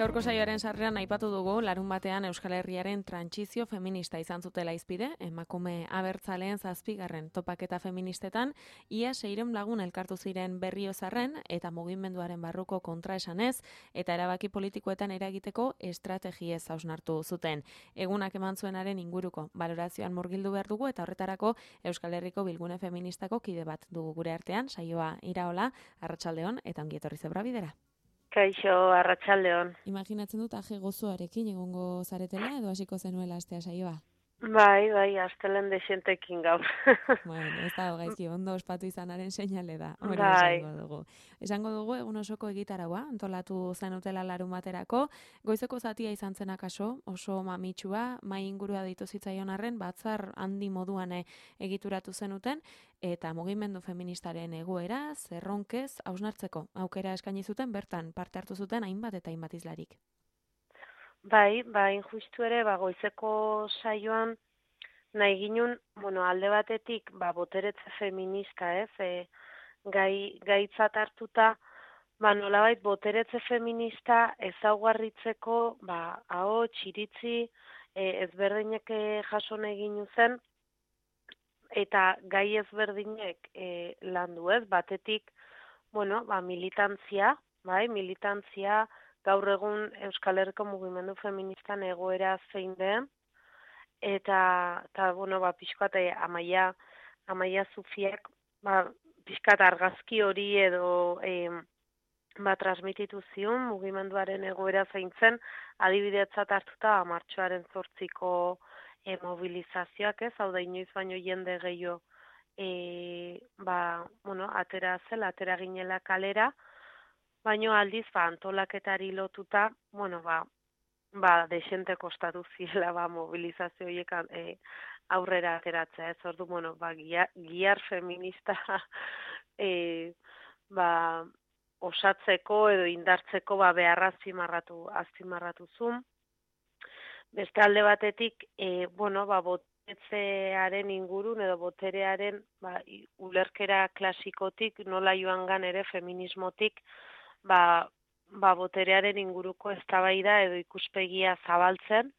Gaurko saioaren sarreran aipatu dugu larun batean Euskal Herriaren trantsizio feminista izan zutela izpide, emakume abertzaleen 7. topaketa feministetan, ia 600 lagun elkartu ziren Berriozarren eta mugimenduaren barruko kontraesanez eta erabaki politikoetan eragiteko estrategiez hausnartu zuten. Egunak eman zuenaren inguruko balorazioan murgildu behar dugu eta horretarako Euskal Herriko Bilgune Feministako kide bat dugu gure artean, saioa Iraola, arratsaldeon eta ongi etorri Zebra Bidera. Kaixo, arratsaldeon. Imaginatzen dut aje gozoarekin egongo zaretela edo hasiko zenuela astea saioa. Bai, astelen desentekin gaur. Bueno, ez da gaizki ondo ospatu izanaren seinale da. Hori Bai. esango dugu. Esango dugu egun osoko egitaraua antolatu zenutela larun baterako. Goizeko zatia izan zen akaso, oso mamitsua, mai ingurua ditu zitzaion arren, batzar handi moduan egituratu zenuten, eta mugimendu feministaren egoera, zerronkez, hausnartzeko aukera eskaini zuten, bertan parte hartu zuten hainbat eta hainbat izlarik. Bai, justu ere, goizeko saioan nahi ginun, alde batetik, boteretze feminista, gaitzat hartuta, nolabait boteretze feminista ezaugarritzeko, ahots, iritzi, ezberdinek jaso nahi ginu zen, eta gai ezberdinek landu ez, batetik, militantzia, militantzia, gaur egun Euskal Herriko mugimendu feministan egoera zein den, eta pixkat Amaia Zufiak, pixkat argazki hori edo transmititu zion mugimenduaren egoera zein zen, adibidetzat hartuta martxoaren 8ko mobilizazioak ez, hau da inoiz baino jende gehiago atera ginela kalera, baino aldiz, antolaketari lotuta, desente kostatu zirela, mobilizazio horiek aurrera ateratzea, ez ordu, giar feminista osatzeko edo indartzeko beharra azpimarratu zuen. Beste alde batetik, boteretzearen ingurun edo boterearen ulerkera klasikotik, nola joangan ere feminismotik, boterearen inguruko eztabaida edo ikuspegia zabaltzen,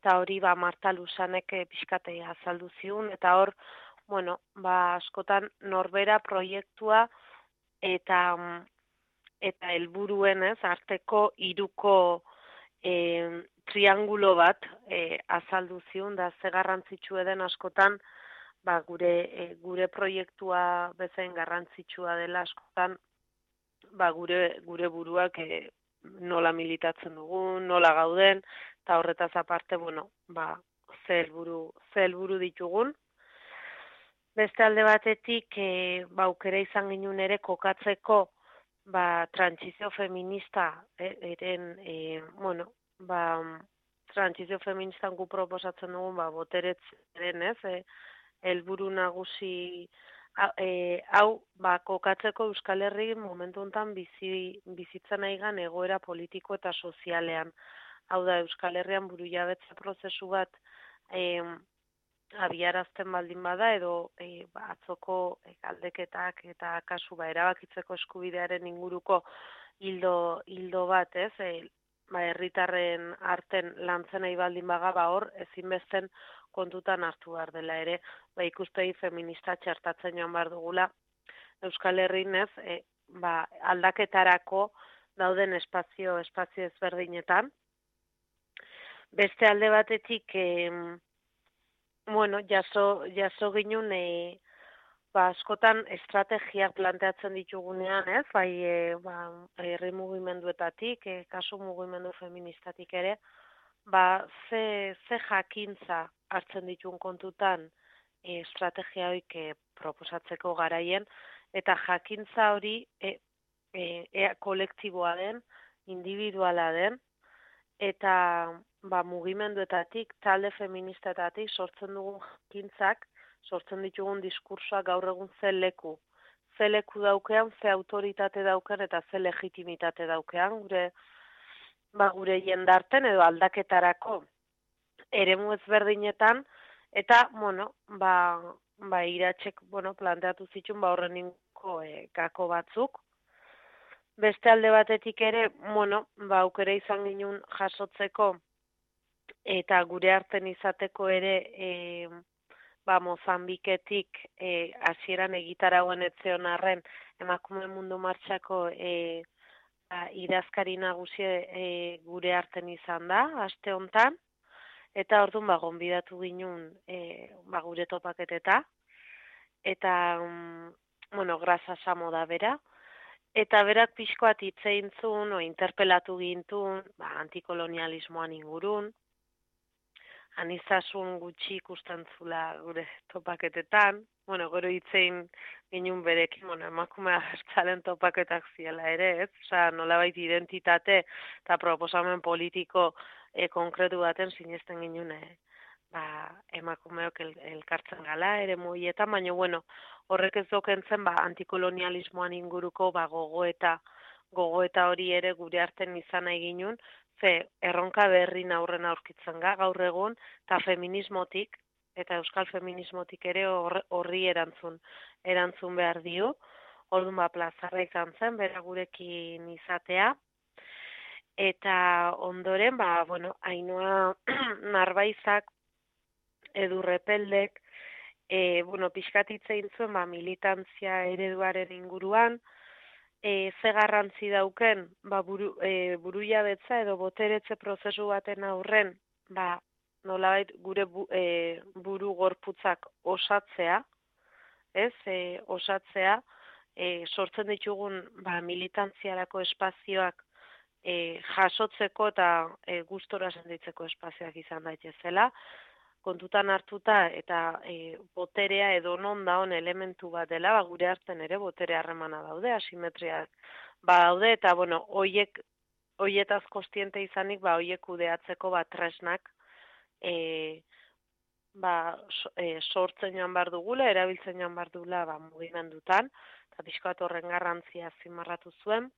eta hori Marta Lusanek pixkate azaldu ziun, eta hor, askotan norbera proiektua eta helburuen arteko hiruko triangulo bat azaldu ziun, da ze garrantzitsua den askotan, gure proiektua bezain garrantzitsua dela askotan, gure buruak nola militatzen dugun, nola gauden, eta horretaz aparte, ze helburu ditugun. Beste alde batetik, aukera izan ginen ere kokatzeko, trantsizio feminista, trantsizio feministan gu proposatzen dugun, boteretzaren, helburu nagusi hau, kokatzeko Euskal Herri momentu honetan bizitzen nahigan egoera politiko eta sozialean. Hau da, Euskal Herrian burujabetza prozesu bat abiarazten baldin bada, edo atzoko galdeketak eta kasu erabakitzeko eskubidearen inguruko hildo bat, herritarren arten lantzen nahi baldin baga, hor ezinbesten kontutan hartu behar dela ere, ikuspegi feminista txertatzen joan behar dugula Euskal Herrin aldaketarako dauden espazio ezberdinetan. Beste alde batetik, jaso ginen, askotan estrategiak planteatzen ditugunean, herri mugimenduetatik, kasu mugimendu feministatik ere, ze jakintza hartzen dituen kontutan estrategia hoik proposatzeko garaien, eta jakintza hori kolektiboa den, individuala den, eta mugimenduetatik, talde feministetatik sortzen dugun jakintzak, sortzen ditugun diskursoak gaur egun ze leku daukean, ze autoritate daukean eta ze legitimitate daukean, gure jendarten edo aldaketarako eremu ezberdinetan, eta, Iratzek, planteatu zituen horren inguruko gako batzuk. Beste alde batetik ere, bueno, ba, aukera izan ginen jasotzeko eta gure arten izateko ere ba, Mozambiketik hasieran egitarauen etzeon arren emakume mundu martxako idazkari nagusi gure arten izan da, aste hontan, eta orduan ba, gonbidatu ginen ba, gure topaketeta, eta, bueno, Grasa Samo da bera, eta berak pixkoat hitz egin zuen, interpelatu gintun, ba, antikolonialismoan ingurun, anizasun gutxi ikusten zula gure topaketetan, bueno, gero hitzein ginen berekin, bueno, emakume abertzalen topaketak ziela ere, ez? Osea, nolabait identitate eta proposamen politiko konkretu baten sinesten ginen, ba, emakumeok elkartzen gala ere moietan, baina, bueno, horrek ez dokentzen, ba, antikolonialismoan inguruko, ba, gogoeta hori ere gure arten izan nahi ginen, ze erronka berri aurren aurkitzen gaur egun, eta feminismotik, eta euskal feminismotik ere horri erantzun behar dio. Orduan ba, plazarra izan zen, bera gurekin izatea. Eta ondoren, ba, bueno, Ainhoa Narbaizak, Edu Repeldek, bueno, pixkatitzein zuen, ba, militantzia ereduaren inguruan, ze garrantzi dauken, ba, burujabetza edo boteretze prozesu baten aurren, ba, nolabait gure buru gorputzak osatzea, ez, osatzea, sortzen ditugun ba, militantziarako espazioak jasotzeko eta gustora sentitzeko espazioak izan daitezela, kontutan hartuta eta boterea edo non daun elementu bat dela, ba, gure arten ere botere harremana daude, asimetriak ba daude, eta bueno, hoietaz kostiente izanik, ba, hoiek kudeatzeko ba, tresnak sortzen joan behar dugula, erabiltzen joan behar dugula ba, mugimendutan, eta pixkat horren garrantzia zimarratu zuen.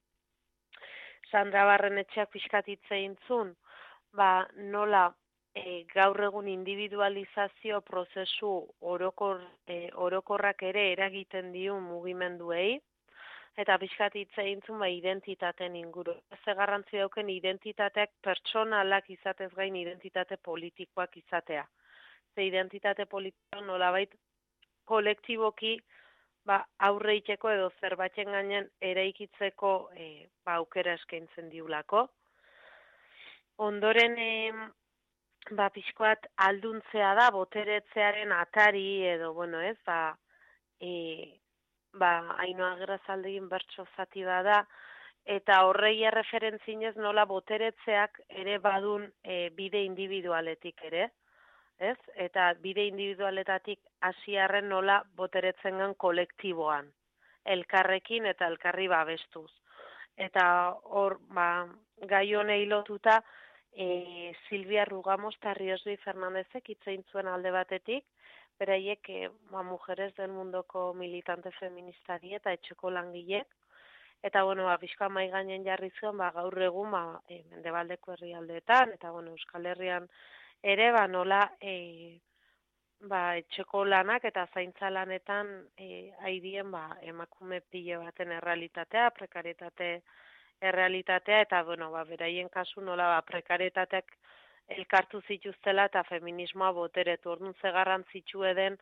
Sandra Barrenetxeak pixkat hitzein zuen, ba, nola gaur egun individualizazio prozesu orokorrak ere eragiten dio mugimenduei, eta pixkat hitz egin zuen ba, identitateen inguru. Ze garrantzi dauken identitateak pertsonalak izatez gain identitate politikoak izatea. Ze identitate politikoa nolabait kolektiboki ba, aurre iteko edo zerbaiten gainen eraikitzeko ba, aukera eskaintzen diulako. Ondoren ba, pixkoat alduntzea da, boteretzearen atari edo, bueno, ez, ba, Ainhoa Agirrezaldegin bertso zati da, eta horrei erreferentzinez nola boteretzeak ere badun bide individualetik ere, ez? Eta bide individualetatik hasiarren nola boteretzen gan kolektiboan, elkarrekin eta elkarri babestuz. Eta hor, ba, gai honei lotuta, Silvia Rugamos eta Riosbi Fernandezek hitzein zuen alde batetik, beraiek ba, Mujeres del Mundoko militante feministari eta etxeko langilek, eta bueno, ba, pixka mai gainen jarri zuen, ba, gaur egun ba, Mendebaldeko herrialdeetan, eta bueno, Euskal Herrian ere, ba, nola ba, etxeko lanak eta zaintza lanetan haidien ba, emakume pile baten errealitatea, prekarietate errealitatea, eta bueno, ba, beraien kasu nola ba, prekaritateak elkartu zituztela eta feminismoa boteretu. Orduan ze garrantzitsu eden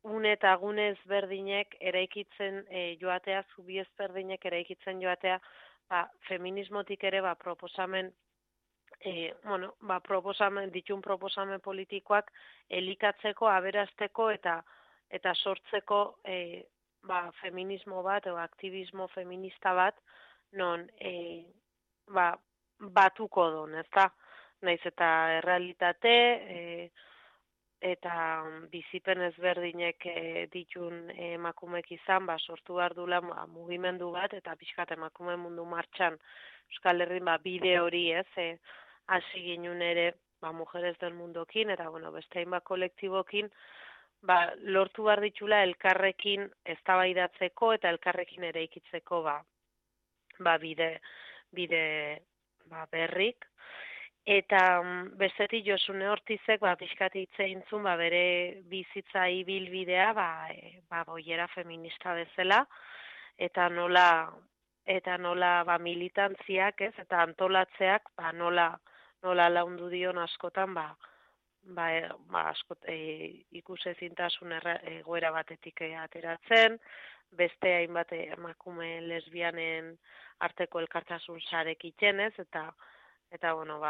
une eta gune ezberdinek eraikitzen joatea, zubi ezberdinek eraikitzen joatea, ba, feminismotik ere ba, proposamen bueno, ba, ditun proposamen politikoak elikatzeko, aberasteko eta sortzeko ba, feminismo bat edo aktivismo feminista bat non ba, batuko don, ezta? Naiz eta errealitate eta bizipen ezberdinek ditun emakumek izan, ba, sortu behar dula ba, mugimendu bat eta pixkat emakume mundu martxan Euskal Herrin ba, bide hori ez, hasi ginen ere ba, Mujeres del Mundokin, eta bueno, beste hainbat kolektibokin, ba, lortu behar ditula elkarrekin eztabaidatzeko eta elkarrekin eraikitzeko ba, bide ba, berrik. Eta bestetik Josune Ortizek ba, pixkat hitz egin zuen ba, bere bizitza ibilbidea ba, boiera feminista bezala, eta nola eta nola militantziak, ez, eta antolatzeak nola laundu dion askotan askot ikusezintasun egoera batetik ateratzen, beste hainbat emakume lesbianen arteko elkartasun sarek itxenez, eta bueno,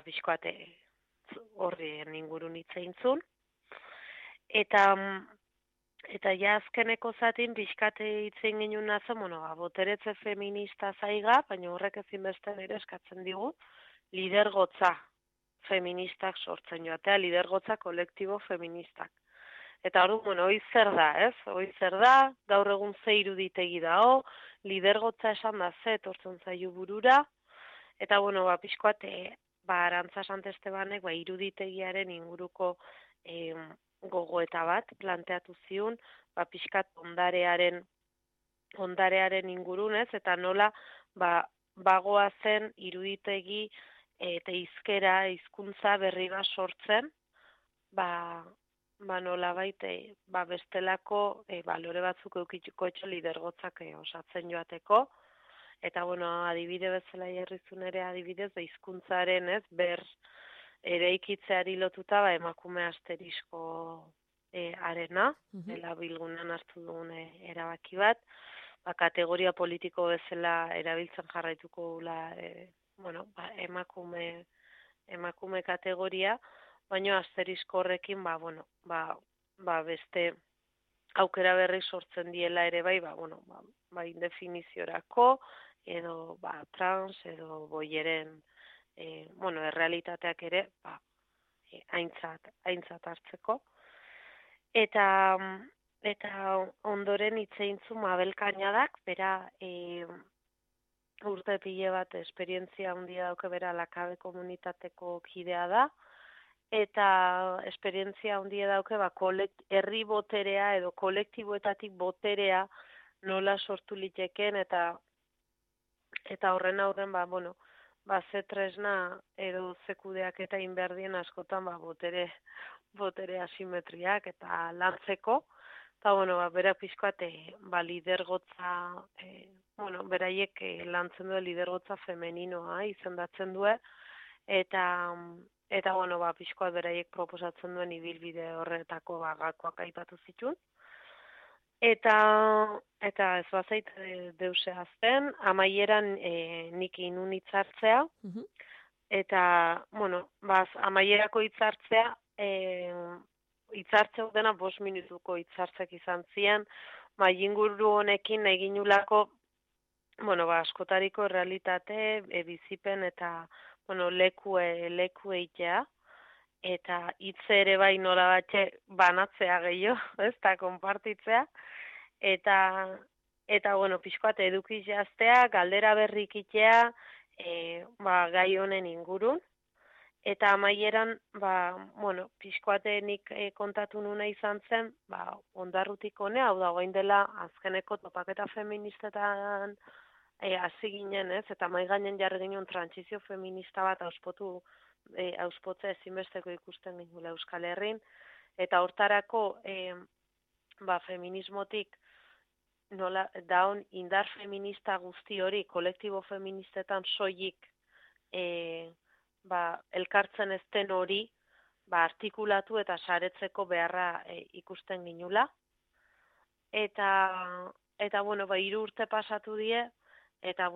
pixkoate horrien ingurun hitzeintzun. Eta ja azkeneko zatin pixkate hitzein ginen nazen, boteretze feminista zaiga, baina horrek ezinbestean ere eskatzen digu, lidergotza feministak sortzen joatea, lidergotza kolektibo feministak. Eta hori, hoi zer da, ez? Hoi zer da, gaur egun ze iruditegi dao, lidergotza esan da ze etortzen zaio burura, eta pixkoat, Arantza Santestebanek iruditegiaren inguruko gogoeta bat planteatu ziun, pixkat ondarearen ingurunez, eta nola bagoa zen iruditegi eta hizkuntza berri bat sortzen, nola bestelako balore batzuk eukituko etxo lidergotzak osatzen joateko, eta adibide bezala jarrizun ere adibidez, hizkuntzaren ez, eraikitzeari lotuta emakume asterisko arena, dela bilgunan hartu dugun erabaki bat, kategoria politiko bezala erabiltzen jarraituko emakume kategoria, baina asterisko horrekin beste aukera berri sortzen diela ere indefiniziorako, edo trans, edo boieren errealitateak ere aintzat hartzeko. Eta ondoren hitzeintzu Mabel Kañadak, bera urte pile bat esperientzia handia dauke, bera Lakabe komunitateko kidea da, eta esperientzia handia dauke herri boterea edo kolektiboetatik boterea nola sortu liteken, eta horren aurren ze tresna edo ze kudeak eta inberdien askotan botere asimetriak eta lantzeko, eta bera pixkoat lidergotza, beraiek lantzen du lidergotza femeninoa izendatzen du, eta pixkoat beraiek proposatzen duen ibilbide horretako gakoak aipatu zituen. Eta ez bazait deuse azten, amaieran nik inun hitzartzea, eta, amaierako hitzartzea, hitzartzea dena 5 minutuko hitzartzek izan zian, inguru honekin eginulako, askotariko realitate, bizipen eta, leku eitea, eta hitze ere bai nola batxe banatzea gehiago, ez da, konpartitzea, eta pixkoat edukiz jaztea, galdera berrik itea, gai honen ingurun, eta amaieran, pixkoatenik kontatu nuna izan zen, ondarrutik honea, hau da, orain dela azkeneko topaketa feministetan hasi ginen, ez, eta mai gainen jarri ginen trantsizio feminista bat auspotzea ezinbesteko ikusten gingula Euskal Herrin, eta hortarako feminismotik nola daun indar feminista guzti hori kolektibo feministetan soilik elkartzen ezten hori artikulatu eta saretzeko beharra ikusten ginula. Eta 3 urte pasatu die, eta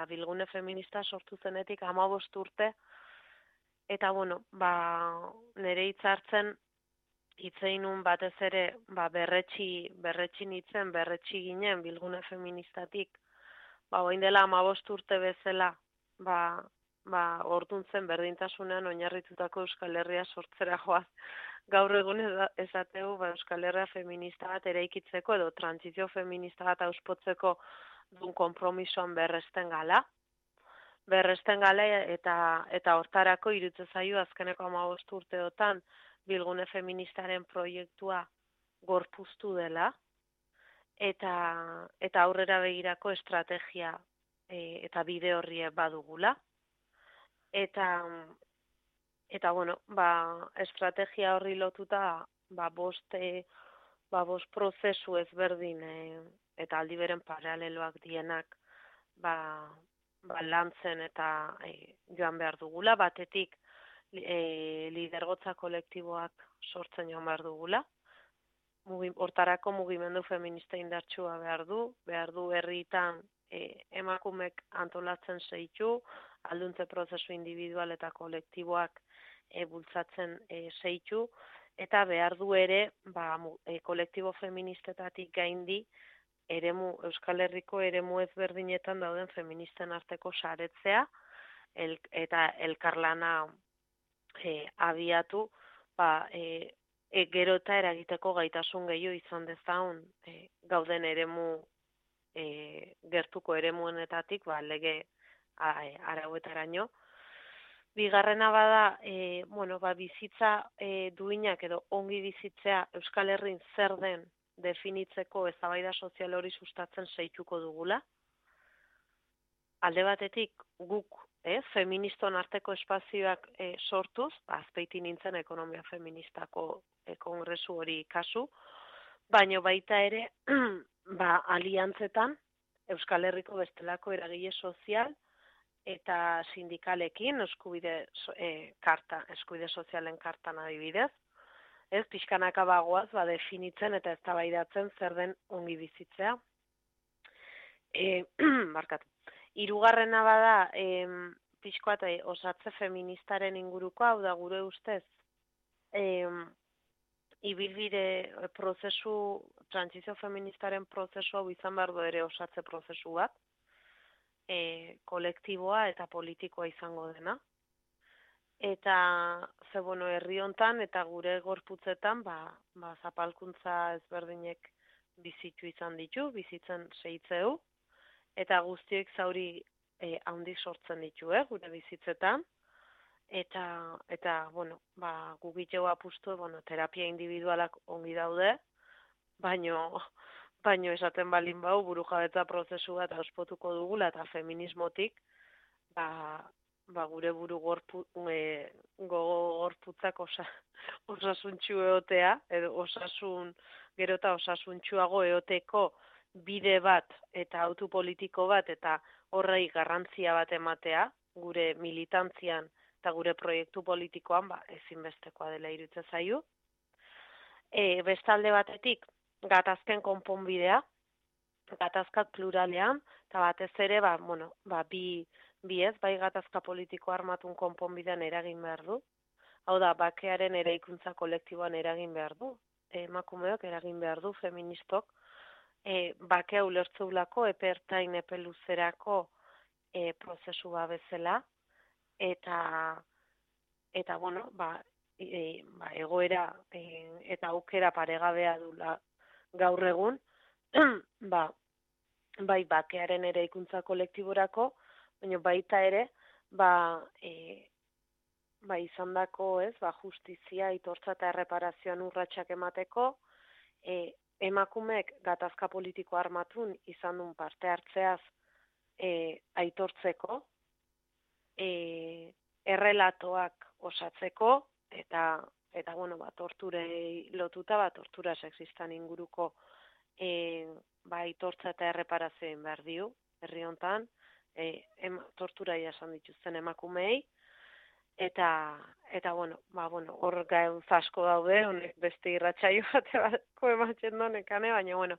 Bilgune Feminista sortu zenetik 15 urte, eta nire hitzartzen hitzeinun batez ere berretsi ginen Bilgune Feministatik, orain dela 15 urte bezala, ordun zen berdintasunean oinarritutako Euskal Herria sortzera joaz. Gaur egun esateu Euskal Herria feminista bat eraikitzeko edo trantsizio feminista bat auspotzeko dun konpromisoan berresten gala, eta hortarako iruditzen zaio azkeneko 15 urteotan Bilgune Feministaren proiektua gorpuztu dela, eta aurrera begirako estrategia eta bide horri badugula. Eta estrategia horri lotuta bost prozesu ezberdin eta aldi beren paraleloak dienak lantzen eta joan behar dugula, batetik lidergotza kolektiboak sortzen joan behar dugula, hortarako mugimendu feminista indartsua behar du herritan emakumek antolatzen zeitu, alduntze prozesu individual eta kolektiboak bultzatzen zeitu, eta behar du ere kolektibo feministetatik gaindi Euskal Herriko eremu ezberdinetan dauden feministen arteko saretzea eta elkarlana abiatu, gero eta eragiteko gaitasun gehiago izan dezaun gauden eremu gertuko eremuenetatik lege arauetaraino. Bigarrena bada, bizitza duinak edo ongi bizitzea Euskal Herrin zer den definitzeko eztabaida sozial hori sustatzen zeituko dugula. Alde batetik guk feministon arteko espazioak sortuz, Azpeitin nintzen ekonomia feministako kongresu hori kasu, baino baita ere aliantzetan Euskal Herriko bestelako eragile sozial eta sindikalekin eskubide sozialen kartan adibidez, pixkanaka bagoaz definitzen eta eztabaidatzen zer den ongi bizitzea. Barkatu. Hirugarrena bada pixkoa eta osatze feministaren inguruko, hau da gure ustez ibilbide prozesu, trantsizio feministaren prozesu hau izan behar du ere osatze prozesu bat, kolektiboa eta politikoa izango dena. Eta herri hontan eta gure gorputzetan zapalkuntza ezberdinek bizitzen seitzeu, eta guztiek zauri handik sortzen ditu, gure bizitzetan. Eta gugiteu apustu, terapia individualak ongi daude, baino esaten balin bau burujabetza prozesu bat auspotuko dugula eta feminismotik, gure buru gorputzak osasuntxu eotea, edo gero eta osasuntxuago eoteko bide bat eta autu politiko bat eta horrei garrantzia bat ematea, gure militantzian eta gure proiektu politikoan ezinbestekoa dela iruditzen zaigu. Bestalde batetik, gatazken konponbidea, gatazkak pluralean, eta batez ere, bai gatazka politiko armatun konponbidean eragin behar du. Hau da, bakearen eraikuntza kolektiboan eragin behar du. Emakumeok eragin behar du, feministok. Bakea ulertzeulako, epe ertain, epe luzerako prozesu bezala. Eta egoera eta aukera paregabea dula gaur egun, bai bakearen eraikuntza kolektiborako, baina baita ere, izandako, justizia, aitortza eta erreparazioan urratsak emateko, emakumeek gatazka politiko armatun izan duen parte hartzeaz aitortzeko, errelatoak osatzeko, eta torturei lotuta, tortura sexistan inguruko aitortza eta erreparazioen behar diu, herri hontan, tortura jasan dituzten emakumeei, eta hor gauz asko daude, honek beste irratsaio bateko ematen donekane, baina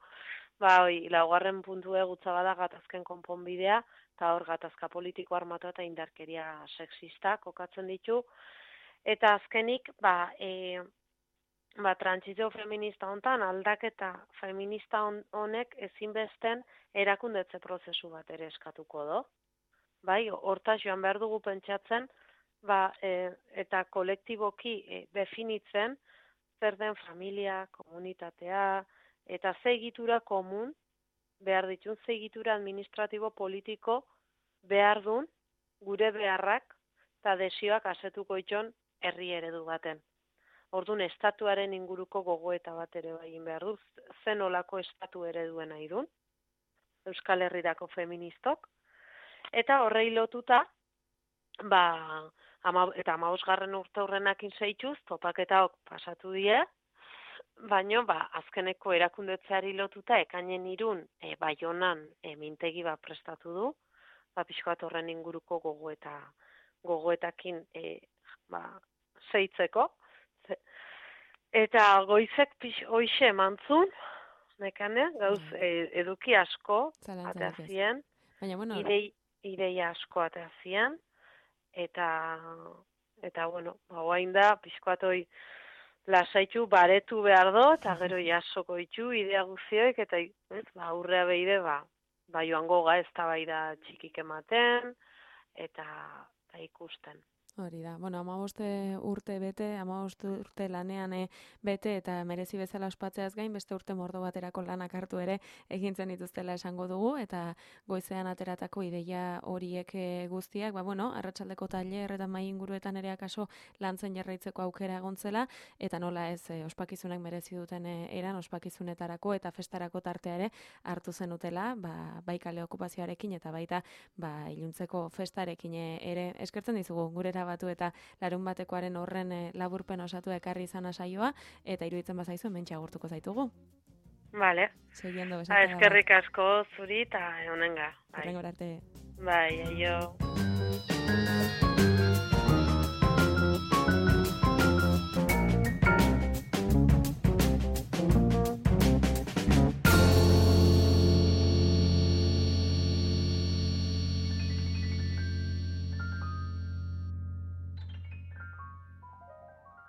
laugarren puntu egutza bada gatazken konponbidea, eta hor gatazka politiko armatu eta indarkeria sexista kokatzen ditu, eta azkenik, trantsizio feminista hontan, aldaketa feminista honek ezinbesten erakundetze prozesu bat ere eskatuko do. Hortaz joan behar dugu pentsatzen, eta kolektiboki definitzen zer den familia, komunitatea, eta ze egitura komun behar ditun, ze egitura administratibo politiko behar dun gure beharrak eta desioak asetuko itxon herri eredu baten. Orduan, estatuaren inguruko gogoeta bat ere egin behar du, zen olako estatu ereduen nahi dun, Euskal Herrirako feministok, eta horrei lotuta, eta 15. urte hurrenakin zeituz, topaketaok pasatu die, baino, azkeneko erakundetzeari lotuta, ekainen 3 Baionan mintegi bat prestatu du, pixka bat horren inguruko gogoetakin zeitzeko. Eta goizek hoixe emantzun, nekane, gauz eduki asko ateazien, baina, bueno, ideia asko ateazien, eta bueno, guain da, pixka bat hoi, lasaitu baretu behar do, eta gero jasoko ditu idea guzioek, eta aurrea behide, joango ez da bai da txikik ematen, eta ikusten. Hori da. Bueno, 15 urte bete, 15 urte lanean bete eta merezi bezala ospatzeaz gain, beste urte mordo baterako lanak hartu ere egintzen dituztela esango dugu, eta goizean ateratako ideia horiek guztiak, bueno, arratsaldeko tailer eta mai inguruetan ere akaso lantzen jarraitzeko aukera egontzela, eta nola ez ospakizunak merezi duten eran ospakizunetarako eta festarako tartea ere hartu zenutela, bai kale okupazioarekin eta baita iluntzeko festarekin ere eskertzen dizugu gurera batu eta larun batekoaren horren laburpen osatu ekarri izan saioa, eta iruditzen bazaizu hementxe agurtuko zaitugu. Vale. Seguiendo eskerrik asko zuri eta honenga. Horrengora arte. Bai, aio.